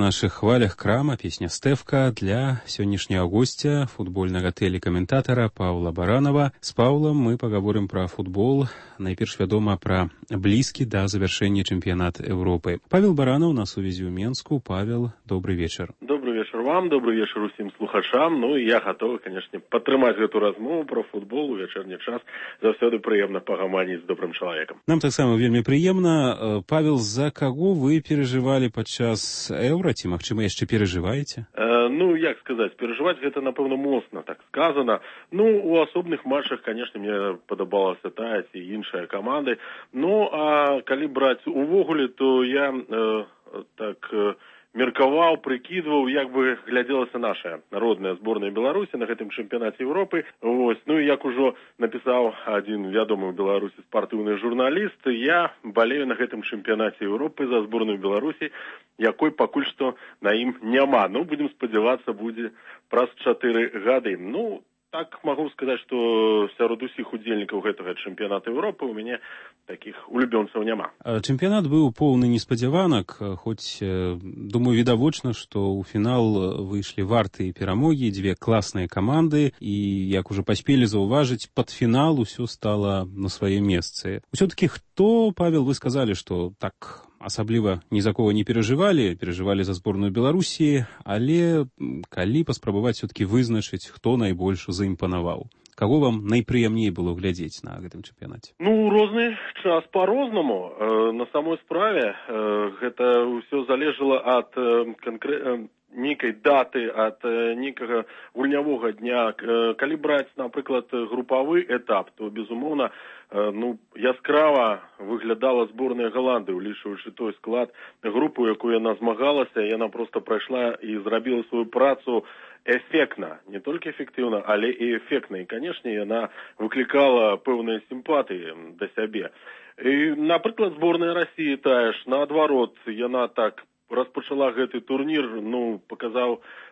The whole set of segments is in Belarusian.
наших хвалях крама, песня «Стэвка» для сённяшняга гостя, футбольнага тэлекаментатара Паўла Баранова. С Паўлам мы паговорым пра футбол, найперш вядома пра блізкі да завяршэння чэмпіянат Европы. Павел Баранов на сувязі ў Менску. Павел, добрый вечар. Добрый вечар вам, добрый вечар усім слухачам. Ну і я гатовы, канешне, падтрымаць гэту размову пра футбол у вечарні час. Заўсёды прыемна пагаманіць з добрым чалавекам. Нам таксама вельмі прыемна. Павел, за каго вы перажывалі падчас Еўра, ці, магчыма, яшчэ перажываеце? Ну, як сказаць, перажываць гэта, напэўна, моцна так сказана. Ну, у асобных матчах, канешне, мне падабалася тая ці іншая каманды. Ну, а калі браць увогуле, то я меркаваў, прыкідваў, як бы глядзелася наша народная зборная Беларусі на гэтым чэмпіянаце Европы. Вось. Ну і як ужо напісаў адзін вядомы ў Беларусі спартыўны журналіст, я балею на гэтым чэмпіянаце Европы за зборную Беларусі, якой пакуль што на ім няма. Ну, будзем спадзявацца, будзе праз 4 гады. Ну, так магу сказаць, што сярод усіх удзельнікаў гэтага чэмпіяната Европы у мяне такіх улюбёнцаў няма. Чэмпіянат быў поўны неспадзяванак, хоць, думаю, відавочна, што ў фінал выйшлі вартыя перамогі, дзве класныя каманды, і, як ужо паспелі заўважыць, пад фінал усё стала на свае месцы. Усё-такі хто, Павел, вы сказалі, што так асабліва ні за кого не перажывалі за зборную Беларусі, але калі паспрабаваць все-таки вызначыць, хто найбольш заімпанаваў? Каго вам найпрыемней было глядзець на гэтым чэмпіянаце? Ну, розны час па-рознаму. На самой справе гэта ўсё залежала ад нейкай даты, ад нейкага гульнявога дня. Калі браць, напрыклад, групавы этап, то, безумоўна, яскрава выглядала зборная Галандыі, улічваючы той склад групы, якую яна змагалася, яна проста прайшла і зрабіла сваю працу эфектна, не толькі эфектыўна, але і эфектна. І, канешне, яна выклікала пэўныя сімпатыі да сябе. І, напрыклад, зборная Расіі тая ж, наадварот, яна так распачала гэты турнір,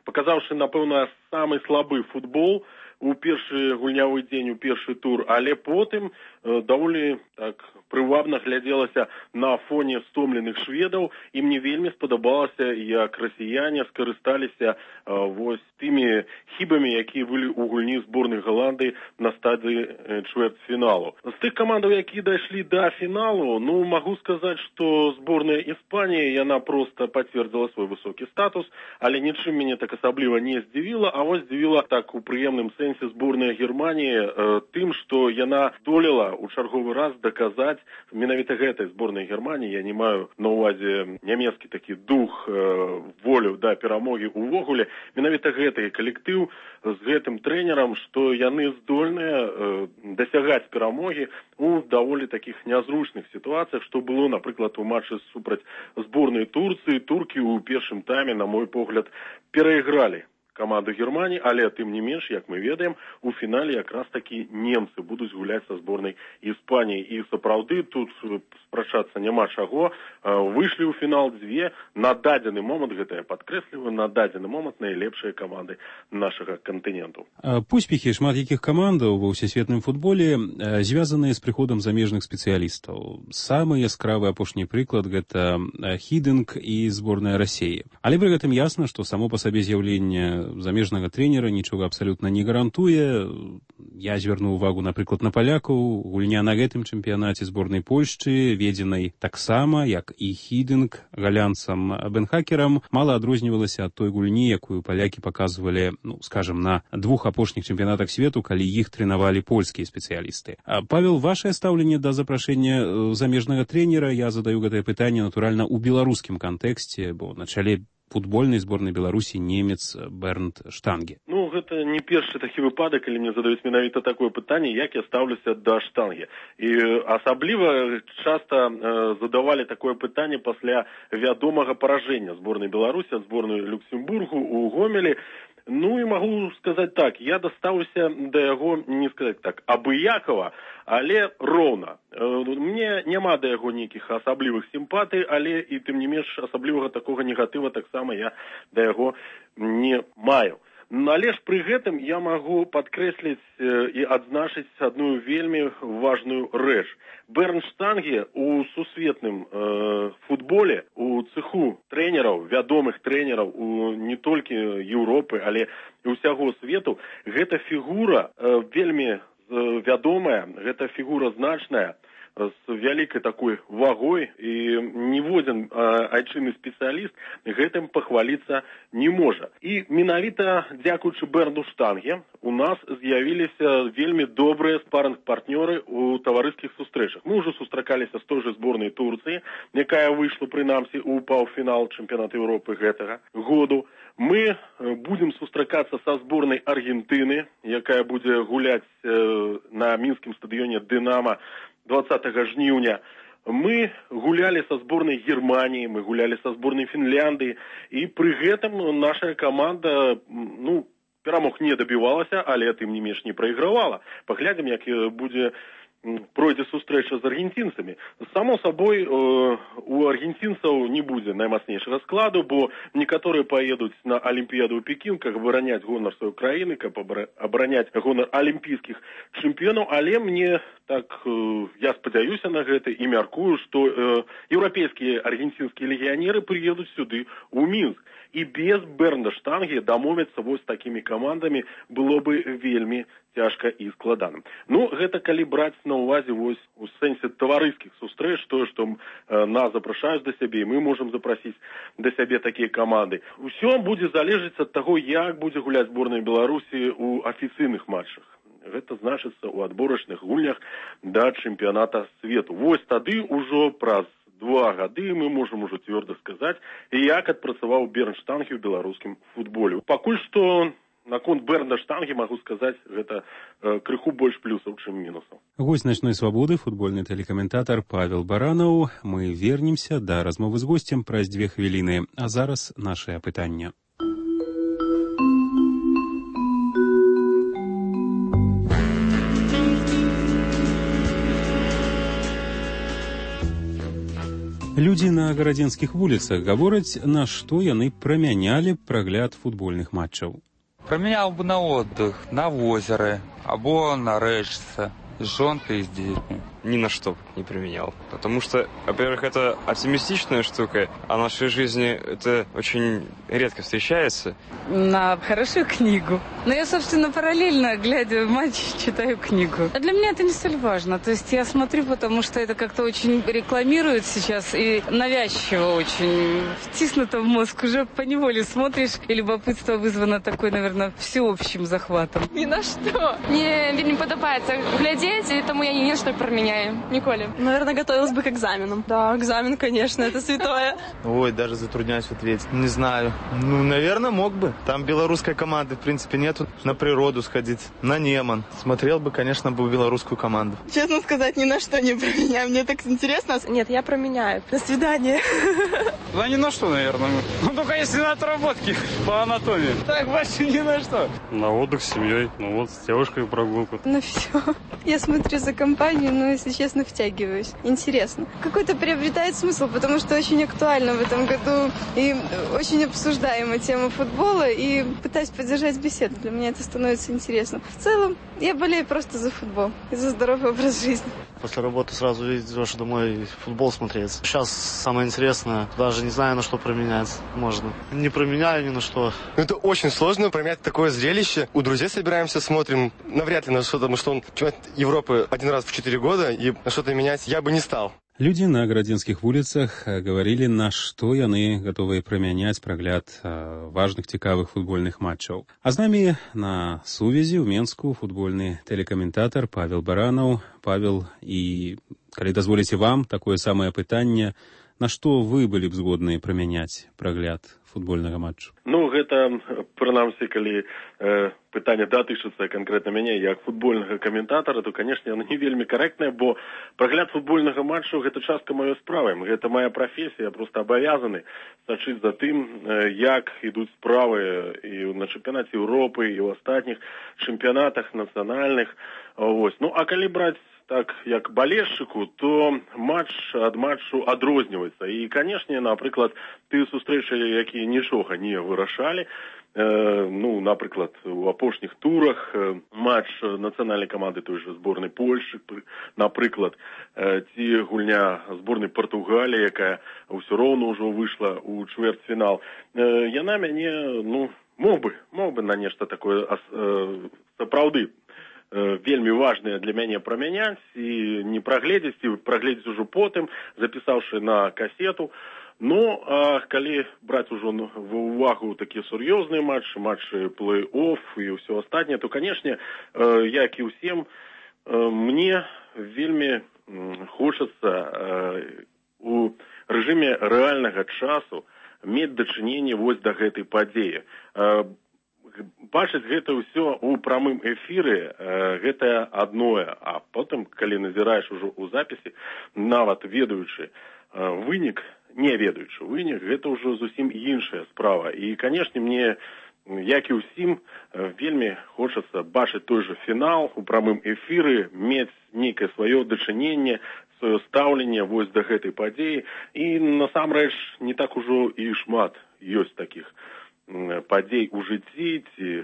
паказаўшы, напэўна, самы слабы футбол у першы гульнявы дзень, у першы тур, але потым даволі так прывабна глядзелася на фоне стомленых шведаў, і мне вельмі спадабалася, як расіяне скарысталіся вось тымі хібамі, якія былі ў гульні зборнай Галандыі на стадыі чвэрцьфіналу. З тых камандаў, якія дайшлі да фіналу, магу сказаць, што зборная Іспаніі, яна проста пацвердзіла свой высокі статус, але нічым мяне так асабліва не здзівіла, а вось здзівіла так у прыемным сэнсе зборная Германіі тым, што яна здолела у чарговы раз даказаць менавіта гэтай зборнай Германіі, я не маю на ўвазе нямецкі такі дух, волю да перамогі увогуле, менавіта гэты калектыў з гэтым трэнерам, што яны здольныя дасягаць перамогі у даволі такіх нязручных сітуацыях, што было, напрыклад, у матчы супраць зборнай Турцыі. Туркі ў першым тайме, на мой погляд, перайгралі каманду Германії, але тым не менш, як мы ведаем, у фінале якраз такі немцы будуць гуляць са зборнай Іспаніі. І сапраўды тут спрачацца няма чаго. Выйшлі ў фінал дзве, на дадзены момант, гэта я падкрэсліваю, на дадзены момант найлепшыя каманды нашага кантыненту. Поспехі шмат якіх камандаў ва ўсесветным футболе звязаныя з прыходам замежных спецыялістаў. Самы яскравы апошні прыклад гэта Хідынг і зборная Расіі. Але пры гэтым ясна, што само па сабе з'яўленне замежнага трэнера нічога абсалютна не гарантуе. Я звярну ўвагу, напрыклад, на палякаў. Гульня на гэтым чэмпіянаце зборнай Польшчы, ведзенай таксама, як і Хідынг, галянцам Бенхакерам, мала адрознівалася ад той гульні, якую палякі паказвалі, скажам, на двух апошніх чэмпіянатах свету, калі іх трэнавалі польскія спецыялісты. Павел, вашае стаўленне да запрашэння замежнага трэнера, я задаю гэтае пытанне, натуральна, у беларускім кантэксце, бо на чале футбольнай зборнай Беларусі немец Бернд Штанге. Гэта не першы такі выпадак, калі мне задаюць менавіта такое пытанне, як я стаўлюся да Штанге. І асабліва часта задавалі такое пытанне пасля вядомага паражэння зборнай Беларусі ад зборнай Люксембургу у Гомелі. І магу сказаць так, я дастаўся да яго, не сказаць так, абыякава, але роўна. Мне няма да яго нейкіх асаблівых сімпатый, але і тым не менш асаблівага такога негатыва таксама я да яго не маю. Але ж пры гэтым я магу падкрэсліць і адзначыць адну вельмі важную рэч. Бернштанге у сусветным футболе, у цэху трэнераў, вядомых трэнераў не толькі Еўропы, але і ўсяго свету, гэта фігура вельмі вядомая, гэта фігура значная, з вялікай такой вагой, і ніводзін айчынны спецыяліст гэтым пахваліцца не можа. І менавіта дзякуючы Берну Штанге у нас з'явіліся вельмі добрыя спарринг-партнёры ў таварыскіх сустрэчах. Мы ўжо сустракаліся з той жа зборнай Турцыі, якая выйшла прынамсі ў паўфінал чэмпіянату Еўропы гэтага году. Мы будзем сустракацца са зборнай Аргентыны, якая будзе гуляць на мінскім стадыёне «Дынамо» 20 жніўня. Мы гулялі са зборнай Германіі, мы гулялі са зборнай Фінляндыі, і пры гэтым наша каманда, перамог не дабівалася, але тым не менш не прайгравала. Паглядзім, як пройдзе сустрэча з аргенцінцамі. Само сабой, у аргенцінцаў не будзе наймацнейшага складу, бо некаторыя паедуць на Алімпіяду ў Пекін, каб абараняць гонар сваёй краіны, каб абараняць гонар алімпійскіх чэмпіёнаў, але мне я спадзяюся на гэта і мяркую, што еўрапейскія аргенцінскія легіянеры прыедуць сюды, у Мінск. І без Берна Штанге дамовіцца вось такімі камандамі было бы вельмі цяжка і складана. Гэта калі браць на ўвазе вось у сэнсе таварыскіх сустрэч, тое, што нас запрашаюць да сябе, і мы можам запрасіць да сябе такія каманды. Усё будзе залежаць ад таго, як будзе гуляць зборная Беларусі ў афіцыйных матчах. Гэта значыцца ў адборачных гульнях да чэмпіяната свету. Вось тады ўжо праз 2 гады мы можам ужо цвёрда сказаць, як адпрацаваў Берн Штанге ў беларускім футболе. Пакуль што наконт Берна Штанге магу сказаць, гэта крыху больш плюсаў, чым мінусаў. Гость «Ночной свободы», футбольны тэлекаментатар Павел Баранаў. Мы вернемся да размовы з госцем праз 2 хвіліны. А зараз нашае пытанне. Людзі на гарадзенскіх вуліцах гавораць, на што яны прамянялі прагляд футбольных матчаў. Променял бы на отдых, на озеро, або на рэчцы, с жонкой и с детьми. Ни на что не применял. Потому что, во-первых, это оптимистичная штука, а в нашей жизни это очень редко встречается. На хорошую книгу. Но я, собственно, параллельно, глядя в матч, читаю книгу. А для меня это не столь важно. То есть я смотрю, потому что это как-то очень рекламируют сейчас и навязчиво очень втиснуто в мозг. Уже поневоле смотришь, и любопытство вызвано такой, наверное, всеобщим захватом. Ни на что. Мне не подобается глядеть, и тому я ни на что променяю. Николе. Наверное, готовилась бы к экзаменам. Да, экзамен, конечно, это святое. Ой, даже затрудняюсь ответить. Не знаю. Наверное, мог бы. Там белорусской команды, в принципе, нету. На природу сходить, на Неман. Смотрел бы, конечно, белорусскую команду. Честно сказать, ни на что не променяю. Мне так интересно. Нет, я променяю. До свидания. Да ни на что, наверное. Только если на отработки по анатомии. Так, больше ни на что. На отдых с семьей. С девушкой прогулку. На все. Я смотрю за компанию, но, если честно, втягиваюсь. Интересно. Какой-то приобретает смысл, потому что очень актуально в этом году и очень обсуждаема тема футбола, и пытаюсь поддержать беседу. Для меня это становится интересно. В целом, я болею просто за футбол и за здоровый образ жизни. После работы сразу идешь домой футбол смотреть. Сейчас самое интересное, даже не знаю, на что променять можно. Не променяю ни на что. Это очень сложно променять такое зрелище. У друзей собираемся, смотрим. Навряд ли на что-то, потому что он чемпионат Европы 1 раз в 4 года, и на что-то менять я бы не стал. Людзі на гарадзенскіх вуліцах гаварылі, на што яны гатовыя прамяняць прагляд важных цікавых футбольных матчаў. А з намі на сувязі ў Менску футбольны тэлекаментатар Павел Баранаў. Павел, і калі дазволіце вам такое самае пытанне, на што вы былі б згодныя прамяняць прагляд футбольнага матчу? Гэта, прынамсі, калі пытанне датычыцца канкрэтна мяне як футбольнага каментатара, то, канешне, яно не вельмі карэктнае, бо прагляд футбольнага матчу – гэта частка маёй справы. Гэта моя прафесія, я проста абавязаны сачыць за тым, як ідуць справы і на чэмпіянаце Еўропы, і ў астатніх чэмпіянатах нацыянальных. А калі браць так, як балельшчыку, то матч ад матчу адрозніваецца. І, канешне, напрыклад, тыя сустрэчы, якія нічога не вырашалі. Напрыклад, у апошніх турах матч нацыянальнай каманды той же зборнай Польшчы, напрыклад, ці гульня зборнай Партугаліі, якая ўсё роўна ўжо выйшла ў чвэрцьфінал. Яна мяне, мог бы на нешта такое сапраўды вельмі важнае для мяне прамяняць і не прагледзець, і прагледзець ужо потым, запісаўшы на касету. А калі браць ужо ва ўвагу такія сур'ёзныя матчы плэй-офф і ўсё астатняе, то, канешне, як і ўсім, мне вельмі хочацца у рэжыме рэальнага часу мець дачыненне вось да гэтай падзеі. Бачыць гэта ўсё ў прамым эфіры, гэта адное, а потым, калі назіраеш ужо ў запісе, нават ведаючы вынік, не ведаючы вынік, гэта ўжо зусім іншая справа. І, канешне, мне, як і ўсім, вельмі хочацца бачыць той же фінал у прамым эфіры, мець нейкае сваё дачыненне, сваё стаўленне вось да гэтай падзеі. І, насамрэч, не так ужо і шмат ёсць такіх падзей у жыцці ці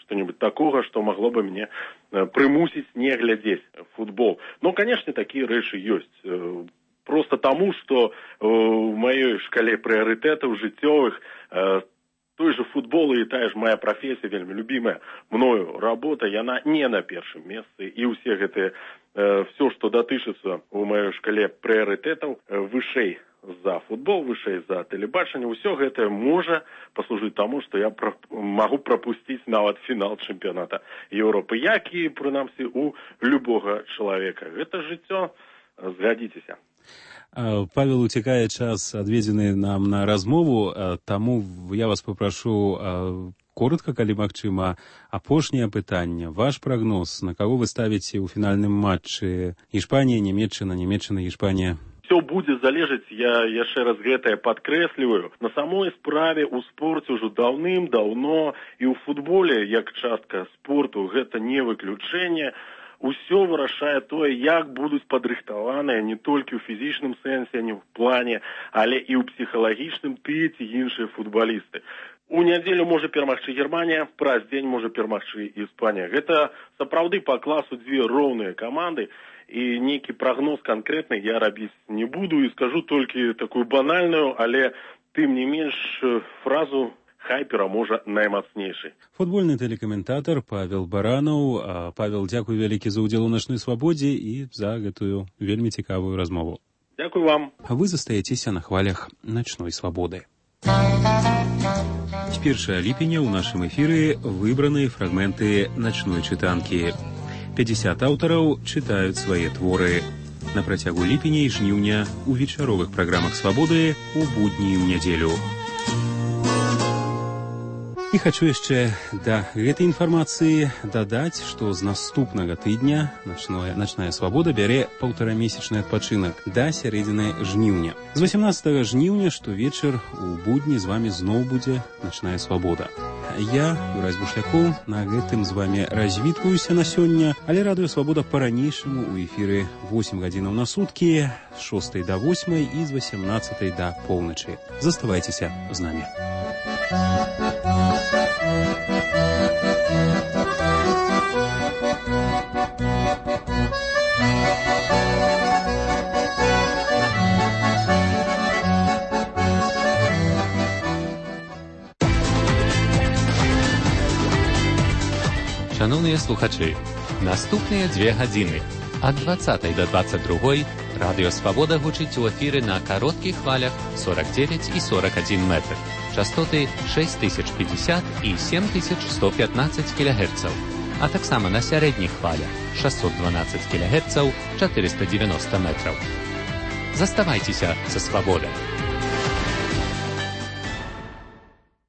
што-небудзь такога, што магло бы мне прымусіць не глядзець футбол. Канешне, такія рэчы ёсць. Просто таму, што ў маёй шкале прыярытэтаў жыццёвых той же футбол і тая ж моя прафесія, вельмі любімая мною работа, яна не на першым месцы. І ўсе гэтыя, все, што датычыцца ў маёй шкале прыярытэтаў, вышэй за футбол, вышэй за тэлебачанне, ўсё гэта можа паслужыць таму, што я магу прапусціць нават фінал чэмпіяната Еўропы, як і, прынамсі, у любога чалавека. Гэта жыццё, згадзіцеся. Павел, уцякае час, адведзены нам на размову, таму я вас папрашу коротка, калі магчыма, апошняе пытанне. Ваш прагноз, на каго вы ставіце ў фінальным матчы? Іспанія, Нямецчына, Іспанія? Все будзе залежаць, я яшчэ раз гэтае падкрэсліваю. На самой справе ў спорце ўжо даўным-даўно і ў футболе, як частка спорту, гэта не выключэнне. Усё вырашае тое, як будуць падрыхтаваныя не толькі ў фізічным сэнсе, не ў плане, але і ў псіхалагічным тыя ці іншыя футбалісты. У нядзелю можа перамагчы Германія, праз дзень можа перамагчы Іспанія. Гэта сапраўды па класу дзве роўныя каманды, і нейкі прагноз канкрэтны я рабіць не буду і скажу толькі такую банальную, але тым не менш фразу «Хай пераможа наймацнейшы». Футбольны тэлекаментатар Павел Баранаў. Павел, дзякуй вялікі за ўдзел у начной свабодзе і за гэтую вельмі цікавую размову. Дзякуй вам. Вы застаецеся на хвалях начной свабоды. З 1 ліпеня ў нашым эфіры выбраныя фрагменты начной чытанкі. 50 аўтараў чытаюць свае творы. На працягу ліпеня і жніўня ў вечаровых праграмах свабоды у будні і ў нядзелю. І хачу яшчэ да гэтай інфармацыі дадаць, што з наступнага тыдня начная свабода бярэ паўтарамесячны адпачынак да сярэдзіны жніўня. З 18 жніўня штовечар у будні з вамі зноў будзе начная свабода. Я, Юрась Бушлякоў, на гэтым з вамі развітваюся на сёння, але радыё свабода па-ранейшаму у эфіры 8 гадзінаў на суткі, з 6 да 8 і з 18 да поўначы. Заставайцеся з намі. Шановні слухачі, наступні 2 години ад 20 до 22 Радіо Свобода гучить у ефірі на коротких хвалях 49 і 41 метр, частоти 6050 і 7115 кГц, а так само на середніх хвалях 612 кГц, 490 метрів. Заставайтеся за Свободою.